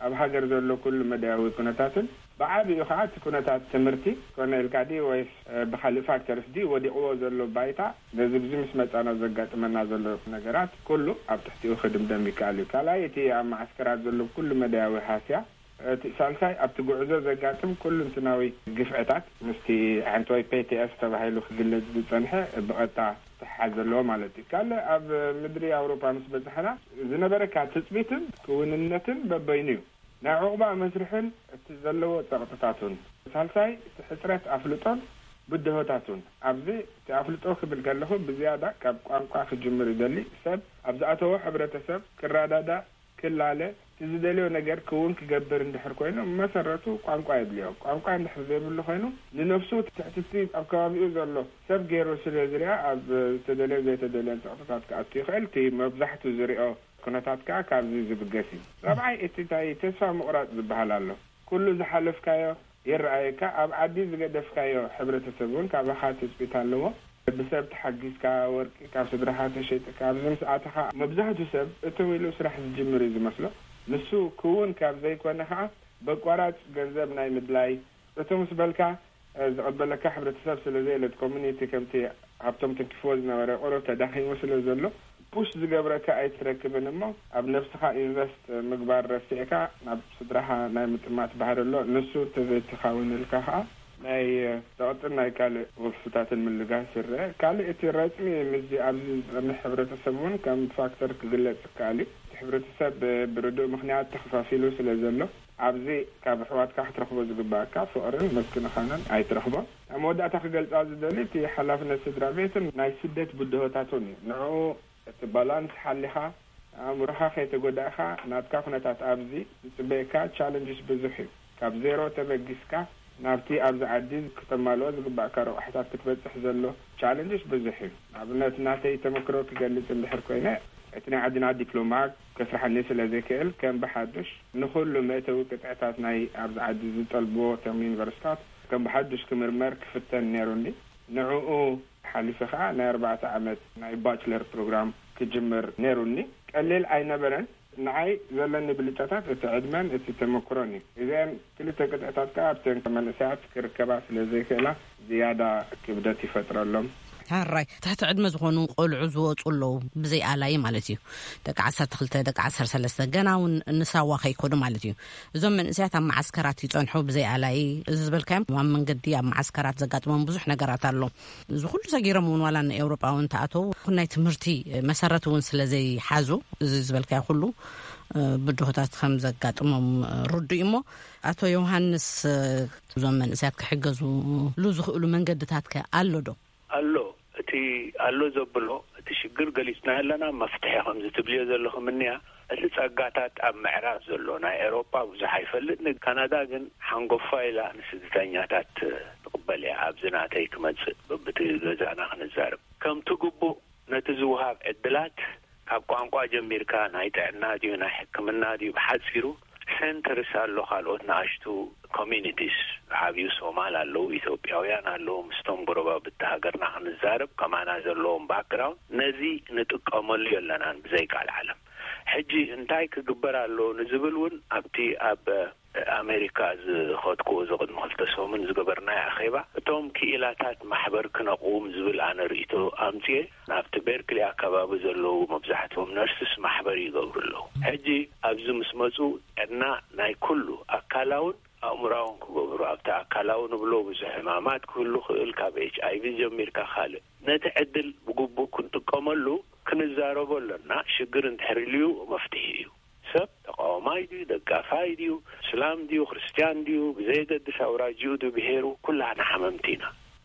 ኣብ ሃገር ዘሎ ኩሉ መዳያዊ ኩነታትን ብዓቢኡ ከኣ እቲ ኩነታት ትምህርቲ ኮነ ኢልካ ድዩ ወይስ፣ እ፣ ብኻልእ ፋክተርስ ድዩ ወዲቕዎ ዘሎ ባይታ ነዚ ብዚ ምስ መጻና ዘጋጥመና ዘሎ ነገራት ኩሉ ኣብ ትሕቲኡ ክድምደም ይከኣል እዩ። ካልኣይ እቲ ኣብ መዓስከራት ዘሎ ኩሉ መዳያዊ ሃስያ፣ እቲ ሳልሳይ ኣብቲ ጉዕዞ ዘጋጥም ኩሉ እንትናዊ ግፍዕታት ምስቲ ሓንቲ ወይ ፔ ቲ ኤስ ተባሂሉ ክግለጽ ዝጸንሐ ብቐጥታ ተሓሓዝ ዘለዎ ማለት እዩ። ካልእ ኣብ ምድሪ ኣውሮፓ ምስ በጻሕና ዝነበረካ ትጽቢትን ክውንነትን በበይኑ እዩ። ናይ ዑቕባ መስርሕን እቲ ዘለዎ ጸቕጥታቱን። ሳልሳይ እቲ ሕጽረት ኣፍልጦን ብድሆታቱን። ኣብዚ እቲ ኣፍልጦ ክብል ከለኹ ብዝያዳ ካብ ቋንቋ ክጅምር ይደሊ። ሰብ ኣብ ዝኣተዎ ሕብረተሰብ ክረዳዳእ፣ ክላለ፣ እቲ ዝደልዮ ነገር ክውን ክገብር እንድሕር ኮይኑ መሰረቱ ቋንቋ የድልዮ። ቋንቋ እንድሕር ዘይብሉ ኮይኑ ንነፍሱ ትሕቲ እቲ ኣብ ከባቢኡ ዘሎ ሰብ ገይሩ ስለ ዝሪኣ ኣብ ዝተደልዮን ዘይተደልዮን ጸቕጥታት ክኣቱ ይኽእል። እቲ መብዛሕቱ ዝሪኦ ኩነታት ከኣ ካብዚ ዝብገስ እዩ። ራብዓይ እቲ እንታይ ተስፋ ምቑራጽ ዝበሃል ኣሎ። ኩሉ ዝሓለፍካዮ ይረኣየካ። ኣብ ዓዲ ዝገደፍካዮ ሕብረተሰብ እውን ካባኻ ትጽቢት ኣለዎ። ብሰብ ተሓጊዝካ፣ ወርቂ ካብ ስድራኻ ተሸይጥካ ኣብዚ ምስ ኣተኻ መብዛሕቱ ሰብ እትው ኢሉ ስራሕ ዝጅምር እዩ ዝመስሎ። ንሱ ክውን ካብ ዘይኮነ ከኣ በቋራጭ ገንዘብ ናይ ምድላይ፣ እትው ምስ በልካ ዝቐበለካ ሕብረተሰብ ስለ ዘየለት፣ ኮሚኒቲ ከምቲ ሃብቶም ትንኪፍዎ ዝነበረ ቁሩብ ተዳኺሙ ስለ ዘሎ፣ ፑሽ ዝገብረካ ኣይትረክብን። እሞ ኣብ ነብስኻ ኢንቨስት ምግባር ረሲዕካ ናብ ስድራኻ ናይ ምጥማት ባህሪ ኣሎ። ንሱ ተዘይትኻውንልካ ኸዓ ናይ ጸቕጥን ናይ ካልእ ወፍታትን ምልጋስ ይረአ። ካልእ እቲ ረጽሚ ምስዚ ኣብዚ ዝጸንሕ ሕብረተሰብ እውን ከም ፋክተር ክግለጽ ይከኣል እዩ። እቲ ሕብረተሰብ ብርዱእ ምኽንያት ተኸፋፊሉ ስለ ዘሎ፣ ኣብዚ ካብ ኣሕዋትካ ክትረኽቦ ዝግባእካ ፍቕርን ምክንኻንን ኣይትረኽቦን። ኣብ መወዳእታ ክገልጻ ዝደሊ፣ እቲ ሓላፍነት ስድራ ቤትን ናይ ስደት ብድሆታቱን እዩ። ንዕኡ እቲ ባላንስ ሓሊኻ፣ ኣእምሮኻ ከይተጎዳእካ፣ ናትካ ኩነታት ኣብዚ ዝጽበየካ ቻለንጅስ ብዙሕ እዩ። ካብ ዜሮ ተበጊስካ ናብቲ ኣብዚ ዓዲ ክተማልኦ ዝግባእካ ረቑሕታት ክትበጽሕ ዘሎ ቻለንጅስ ብዙሕ እዩ። ንኣብነት፣ ናተይ ተመክሮ ክገልጽ እንድሕር ኮይነ፣ እቲ ናይ ዓድና ዲፕሎማ ከስርሓኒ ስለ ዘይክእል፣ ከም ብሓዱሽ ንኹሉ መእተዊ ቅጥዕታት ናይ ኣብዚ ዓዲ ዝጠልብዎ እቶም ዩኒቨርሲታት ከም ብሓዱሽ ክምርመር ክፍተን ነይሩኒ። ንዕኡ ሓሊፈ ኸዓ ናይ ኣርባዕተ ዓመት ናይ ባችለር ፕሮግራም ክጅምር ነይሩኒ። ቀሊል ኣይነበረን። ንዓይ ዘለኒ ብልጫታት እቲ ዕድመን እቲ ተመክሮን እዩ። እዚአን ክልተ ቅጥዕታት ከኣ ኣብተን መንእሰያት ክርከባ ስለ ዘይክእላ ዝያዳ ክብደት ይፈጥረሎም። ሕራይ፣ ትሕቲ ዕድመ ዝኾኑ ቆልዑ ዝወፁ ኣለዉ፣ ብዘይ ኣላይ ማለት እዩ። ደቂ ዓሰርተ ክልተ፣ ደቂ ዓሰርተ ሰለስተ፣ ገና እውን ንሳዋ ከይኮዱ ማለት እዩ። እዞም መንእሰያት ኣብ መዓስከራት ይጸንሑ ብዘይ ኣላይ። እዚ ዝበልካዮም ኣብ መንገዲ ኣብ መዓስከራት ዘጋጥሞም ብዙሕ ነገራት ኣሎ። እዚ ኩሉ ሰጊሮም እውን ዋላ ንኤውሮጳ እውን ተኣተው፣ ናይ ትምህርቲ መሰረት እውን ስለ ዘይሓዙ፣ እዚ ዝበልካዮ ኩሉ፣ እ፣ ብድሆታት ከም ዘጋጥሞም፣ እ፣ ርዱእ እሞ፣ ኣቶ ዮሃንስ፣ እ፣ እዞም መንእሰያት ክሕገዙሉ ዝኽእሉ መንገድታት ከ ኣሎ ዶ? ኣሎ። እቲ ኣሎ ዘብሎ፣ እቲ ሽግር ገሊጽና ኣለና፣ መፍትሒ ከምዚ ትብልዮ ዘለኹም እንያ። እቲ ጸጋታት ኣብ ምዕራብ ዘሎ፣ ናይ ኤውሮጳ ብዙሕ ኣይፈልጥን፣ ካናዳ ግን ሓንጎፋ ኢላ ንስደተኛታት ትቕበል እያ። ኣብዚ ናተይ ክመጽእ፣ በብቲ ገዛና ክንዛረብ። ከምቲ ግቡእ ነቲ ዝውሃብ ዕድላት፣ ካብ ቋንቋ ጀሚርካ፣ ናይ ጥዕና ድዩ፣ ናይ ሕክምና ድዩ፣ ብሓጺሩ ሴንተርስ ኣሎ፣ ካልኦት ንኣሽቱ ኮሚኒቲስ፣ ዓብዩ ሶማል ኣለዉ፣ ኢትዮጵያውያን ኣለዉ፣ ምስቶም ጎረባብቲ ሃገርና ክንዛረብ፣ ከማና ዘለዎም ባክግራውንድ፣ ነዚ ንጥቀመሉ የለናን ብዘይ ቃል ዓለም። ሕጂ እንታይ ክግበር ኣሎ ንዝብል እውን ኣብቲ ኣብ ኣሜሪካ ዝኸድኩዎ፣ እዚ ቅድሚ ክልተ ሰሙን ዝገበርናዮ ኣኼባ፣ እቶም ክኢላታት ማሕበር ክነቕውም ዝብል ኣነ ርእይቶ ኣምጽኤ፣ ናብቲ ቤርክሊ ኣከባቢ ዘለዉ መብዛሕትኦም ነርስስ ማሕበር ይገብሩ ኣለዉ። ሕጂ ኣብዚ ምስ መጹ፣ ጥዕና ናይ ኩሉ ኣካላውን ኣእምራውን ክገብሩ፣ ኣብቲ ኣካላዊ ንብሎ ብዙሕ ሕማማት ክህሉ ክእል፣ ካብ ኤች ኣይ ቪ ጀሚርካ ካልእ። ነቲ ዕድል ብግቡእ ክንጥቀመሉ ክንዛረቦ ኣለና። ሽግር እንድሕር ኢልዩ መፍትሒ እዩ። ሰብ ተቃዋማይ ድዩ፣ ደጋፋይ ድዩ፣ እስላም ድዩ፣ ክርስትያን ድዩ፣ ብዘየገድስ ኣውራጅኡ ድዩ፣ ብሄሩ፣ ኩላህና ሓመምቲ ኢና፣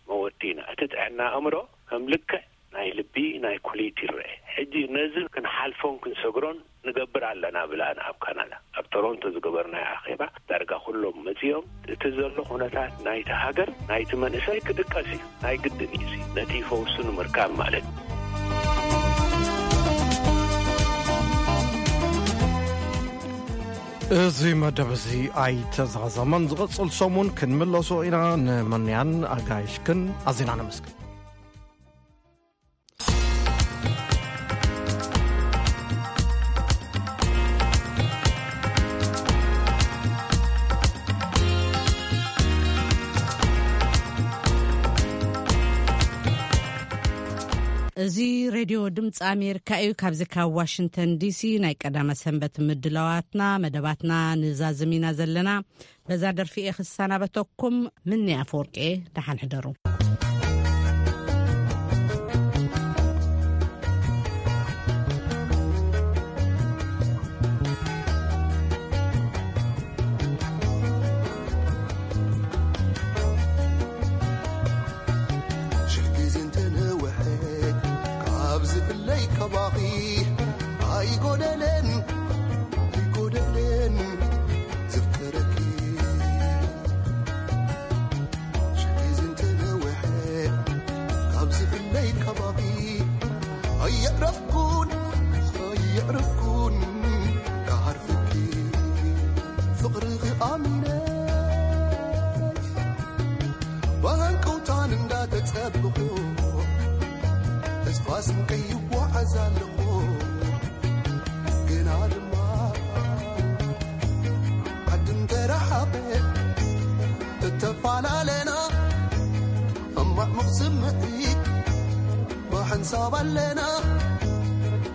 መወቲ ኢና። እቲ ጥዕና ኣእምሮ ከም ልክዕ ናይ ልቢ፣ ናይ ኩሊት ይረአ። ሕጂ ነዚ ክንሓልፎን ክንሰግሮን ንገብር ኣለና ብላና ኣብ ካናዳ። ኣብ ቶሮንቶ ዝገበርናዮ ኣኼባ ዳርጋ ኩሎም መጺኦም፣ እቲ ዘሎ ኩነታት ናይቲ ሃገር፣ ናይቲ መንእሰይ ክድቀስ እዩ። ናይ ግድን እዩ እዚ፣ ነቲ ፈውሱ ንምርካብ ማለት እዩ። እዚ መደብ እዚ ኣይተዛዘመን። ዝቕጽል ሰሙን ክንምለሶ ኢና። ንመንያን ኣጋይሽክን ኣዚና ነመስግን። እዚ ሬድዮ ድምፂ ኣሜሪካ እዩ። ካብዚ ካብ ዋሽንግተን ዲሲ ናይ ቀዳመ ሰንበት ምድላዋትና፣ መደባትና ንዛዝም ኢና ዘለና። በዛ ደርፊ እየ ክሰናበተኩም። ምኒ ኣፈወርቂ፣ ደሓን ሕደሩ። ሽሕ ግዜ እንተነውሐት ካብ ዝፍለይ ካባኺ ኣይጎደለን፣ ኣይጎደለን ዘፍቅረኪ። ሽሕ ግዜ እንተነውሐት ካብ ዝፍለይ ካባኺ ኣየዕረፍኩን፣ ኣየዕረፍኩን ክዓርፈኪ። ፍቕርኺ ኣሚነ ብሃንቀውታን እንዳተጸበኹ፣ ተስፋ ስንቀይ ይጓዓዝ ኣለኹ። ግና ድማ ዓዲ እንተረሓቐ እተፈላለና፣ ሕማቕ ስምዒት ብሓንሳብ ኣለና፣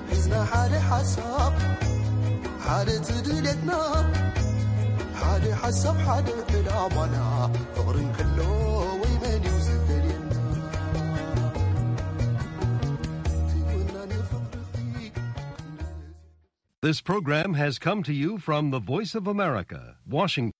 ሒዝና ሓደ ሓሳብ፣ ሓደ ትድልየትና፣ ሓደ ሓሳብ፣ ሓደ ዕላማና፣ ፍቕሪ እንከሎ ወይ መን እዩ ዝፈልየና? ትወና ንፍቕርኺ። This program has come to you from the Voice of America, Washington.